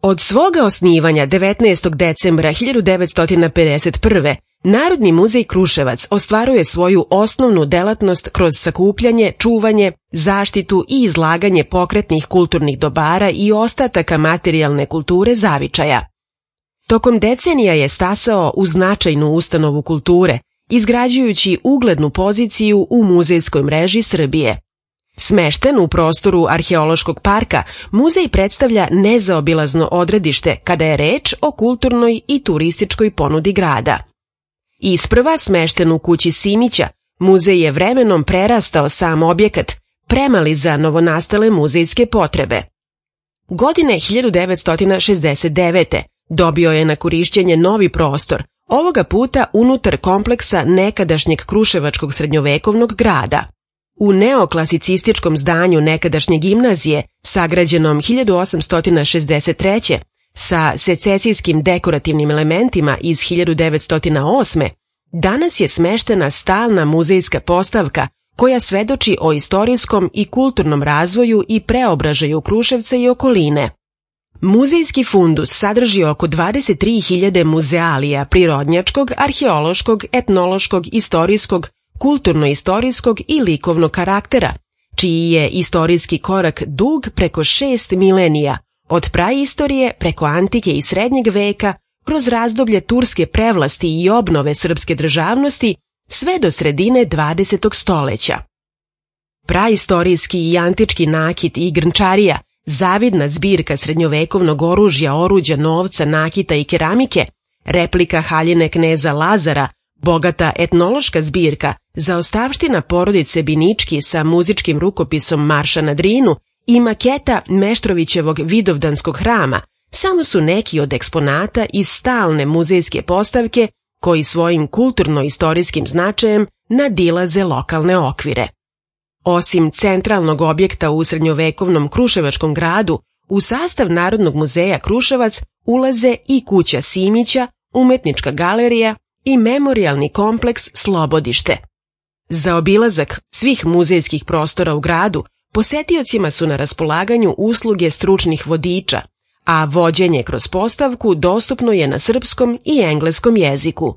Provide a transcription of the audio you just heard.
Od svoga osnivanja 19. decembra 1951. Narodni muzej Kruševac ostvaruje svoju osnovnu delatnost kroz sakupljanje, čuvanje, zaštitu i izlaganje pokretnih kulturnih dobara i ostataka materijalne kulture zavičaja. Tokom decenija je stasao u značajnu ustanovu kulture, izgrađujući uglednu poziciju u muzejskoj mreži Srbije. Smešten u prostoru Arheološkog parka, muzej predstavlja nezaobilazno odredište kada je reč o kulturnoj i turističkoj ponudi grada. Isprva smešten u kući Simića, muzej je vremenom prerastao sam objekat, premali za novonastale muzejske potrebe. Godine 1969. dobio je na korišćenje novi prostor, ovoga puta unutar kompleksa nekadašnjeg kruševačkog srednjovekovnog grada. U neoklasicističkom zdanju nekadašnje gimnazije, sagrađenom 1863. sa sececijskim dekorativnim elementima iz 1908. danas je smeštena stalna muzejska postavka koja svedoči o istorijskom i kulturnom razvoju i preobražaju Kruševca i okoline. Muzejski fundus sadrži oko 23.000 muzealija prirodnjačkog, arheološkog, etnološkog, istorijskog, kulturno-istorijskog i likovnog karaktera, čiji je istorijski korak dug preko 6 milenija, od praistorije preko antike i srednjeg veka, kroz razdoblje turske prevlasti i obnove srpske državnosti, sve do sredine 20. stoleća. Praistorijski i antički nakit i grnčarija, zavidna zbirka srednjovekovnog oružja, oruđa, novca, nakita i keramike, replika haljine kneza Lazara, bogata etnološka zbirka, zaostavština porodice Binički sa muzičkim rukopisom Marša na Drinu i maketa Meštrovićevog Vidovdanskog hrama samo su neki od eksponata iz stalne muzejske postavke koji svojim kulturno-istorijskim značajem nadilaze lokalne okvire. Osim centralnog objekta u srednjovekovnom kruševačkom gradu, u sastav Narodnog muzeja Kruševac ulaze i kuća Simića, umetnička galerija i memorijalni kompleks Slobodište. Za obilazak svih muzejskih prostora u gradu posetiocima su na raspolaganju usluge stručnih vodiča, a vođenje kroz postavku dostupno je na srpskom i engleskom jeziku.